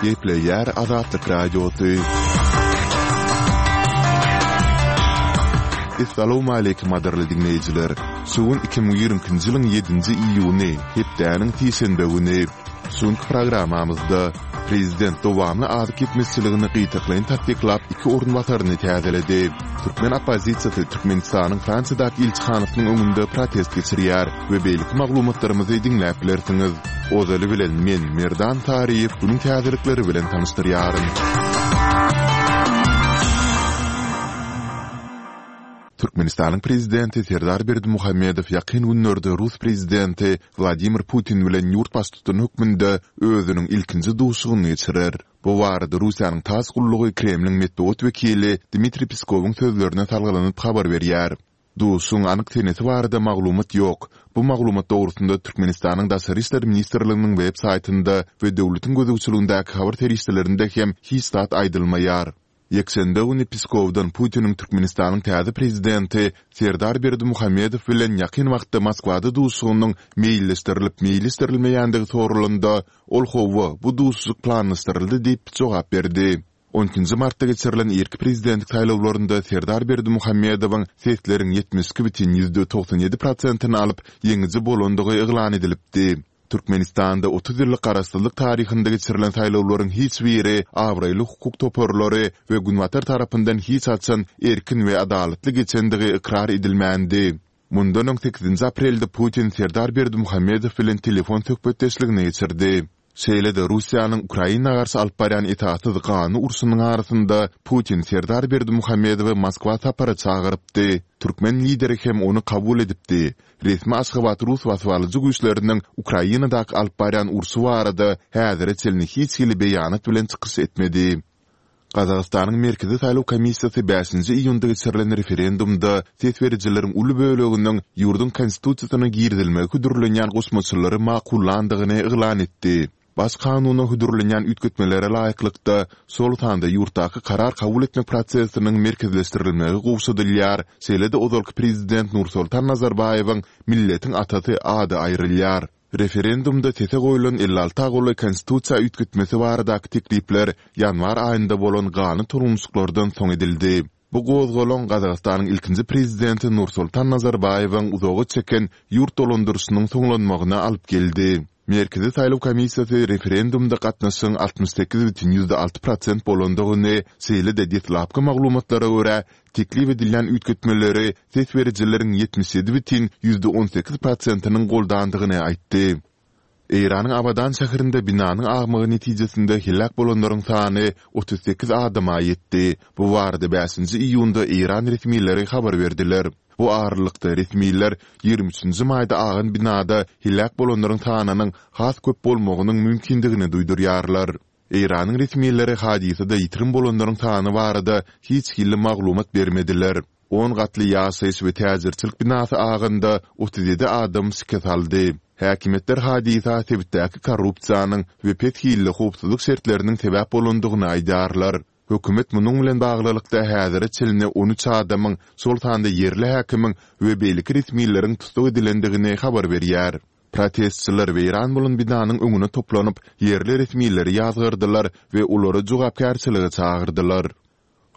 Gepleýär Azatlyk Radiosy. Essalawmaleýkim gadyrly diňleýjiler! Şu gün 2022-nji ýylyň ýedinji iýuny, hepdäniň sişenbe güni. Şu günki programmamyzda Prezident dowamly azyk ýetmezçiligini gytaklaýyn tassyklap iki orunbasaryny täzeledi. Türkmen oppozisiýasy Türkmenistanyň Fransiýadaky ilçihanasynyň öňünde protest geçirýär we beýleki maglumatlarymyzy diňläp bilersiňiz. Ozaly bilen men, Merdan Saryýew günüň täzelikleri bilen tanyşdyrýaryn. Türkmenistanyň Prezidenti Serdar Berdimuhamedow ýakyn günlerde rus Prezidenti Wladimir Putin bilen ýurt baştutany hökmünde özüniň ilkinji duşuşygyny geçirer. Bu barada Russiýanyň tass gullugy Kremliň metbugat wekili Dmitriý Peskowyň sözlerine salgylanyp habar berýär. Duşuşygyň anyk senesi barada maglumat ýok. Bu maglumat dogrusynda Türkmenistanyň Daşary işler ministrliginiň web saýtynda we döwletiň gözegçiligindäki habar serişdelerinde hem hiç zat aýdylmaýar. Ýekşenbe güni Peskowdan Putiniň Türkmenistanyň täze prezidenti Serdar Berdimuhamedow bilen ýakyn wagtda Moskwada duşuşygynyň meýilleşdirilip-meýilleşdirilmeýändigi soralanda, ol hawa, bu duşuşyk planlaşdyryldy diýip jogap berdi. On ikinji martda geçirilen irki prezidentlik saýlawlarynda Serdar Berdimuhamedowyň sesleriň 72 bütin 97 prosentini alyp, ýeňiji bolandygy yglan edilipdi. Türkmenistanda 30 ýyllyk garaşsyzlyk taryhynda geçirilen saýlawlaryň hiç biri abraýly hukuk toparlary we Günbatar tarapyndan hiç haçan erkin we adalatly geçendigi ykrar edilmändi. Mundan öň sekizinji aprelde Putin Serdar Berdimuhamedow bilen telefon söhbetdeşligini geçirdi. Şeýle-de Russiýanyň Ukraina garşy alyp barýan esassyz ganly urşunyň arasynda Putin Serdar Berdimuhamedowy Moskwa sapara çagyrypdy. Türkmen lideri hem ony kabul edipdi. Resmi Aşgabat rus basybalyjy güýçleriniň Ukrainadaky alyp barýan urşy barada häzire çenli hiç hili beýanat bilen çykyş etmedi. Gazagystanyň Merkezi saýlaw komissiýasy bäşinji iýunda geçirilen referendumda ses berijileriň uly böleginiň ýurduň Konstitusiýasyna girizilmegi hödürlenýän goşmaçalary makullandygyny yglan etdi. Baş kanuna hödürlenýän üýtgetmelere laýyklykda, şol sanda ýurtdaky karar kabul etmek prosesiniň merkezleşdirilmegi gowşadylýar, şeýle-de ozalky prezident Nursoltan Nazarbaýewiň Milletiň atasy ady aýrylýar. Referendumda sese goýlan 56 golaý konstitusiýa üýtgetmesi baradaky teklipler ýanwar aýynda bolan ganly tolgunyşyklardan soň edildi. Bu gozgalaň Gazagystanyň ilkinji prezidenti Nursoltan Nazarbaýewiň uzaga çeken ýurt dolandyryşynyň soňlanmagyna alyp geldi. Merkezi saýlaw komissiýasy referendumda gatnaşygyň 68,6 prosent bolandygyny, şeýle-de deslapky maglumatlara görä, teklip edilýän üýtgetmeleri ses berijileriň 77,18 prosentiniň goldandygyny aýtdy. Eýranyň Abadan şäherinde binanyň agmagy netijesinde heläk bolanlaryň sany 38 adama ýetdi. Bu barada bäşinji iýunda eýran resmileri habar berdiler. Bu aralykda, resmiler ýigrimi üçünji maýda agan binada heläk bolanlaryň sanynyň has köp bolmagynyň mümkindigini duýdurýarlar. Eýranyň resmileri hadysada ýitirim bolanlaryň sany barada hiç hili maglumat bermediler. On gatly ýaşaýyş we täjirçilik binasy aganda 37 adam şikes aldy. Häkimiýetler hadysa sebitdäki korrupsiýanyň we pes hilli howpsuzlyk şertleriniň sebäp bolandygyny aýdýarlar. Hökümet munuň bilen baglylykda häzire çenli on üç adamyň, şol sanda ýerli häkimiň we beýleki resmileriň tussag edilendigini habar berýär. Protestçiler weýran bolan binanyň öňüne toplanyp, ýerli resmileri ýazgardylar we olary jogapkärçilige çagyrdylar.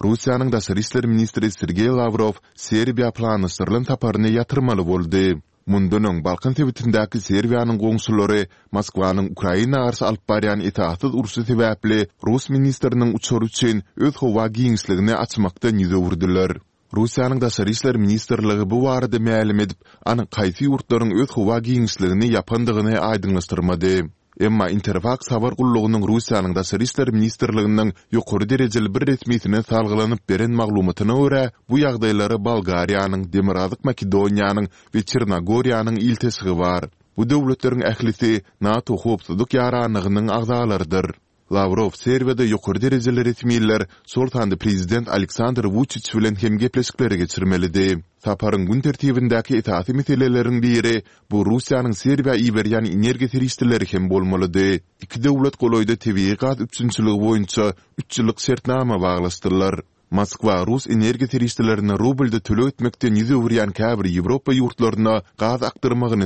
Russiýanyň daşary işler ministri Sergeý Lawrow Serbiýa planlaşdyrylan saparyny ýatyrmaly boldy. Mundan öň Balkan sebitindäki Serbiýanyň goňşulary Moskwanyň Ukraina garşy alyp barýan esassyz urşy sebäpli rus ministriniň uçary üçin öz howa giňişligini açmakdan ýüz öwürdiler. Russiýanyň Daşary işler ministrligi bu barada mälim edip, anyk haýsy ýurtlaryň öz howa giňişligini ýapandygyny aýdyňlaşdyrmady. Emma Interfaks habar gullugynyň Russiýanyň Daşary işler ministrliginiň ýokary derejeli bir resmisine salgylanyp beren maglumatyna görä, bu ýagdaýlara Bolgariýanyň, Demirgazyk Makedoniýanyň we Çernogoriýanyň ilteşigi bar. Bu döwletleriň ählisi NATO howpsuzlyk ýaranlygynyň agzalarydyr. Lawrow Serbiýada ýokary derejeli resmiler, şol sanda prezident Aleksandr Wuçiç bilen hem gepleşikleri geçirmelidi. Saparyň gün tertibindäki esasy meseleleriň biri bu Russiýanyň Serbiýa iberýän energiýa serişdeleri hem bolmalydy. Iki döwlet golaýda tebigy gaz üpjünçiligi boýunça üç ýyllyk şertnama baglaşdylar. Moskwa rus energiýa serişdelerini rublda töleg etmekden ýüz öwürýän käbir Ýewropa ýurtlaryna gaz akdyrmagyny.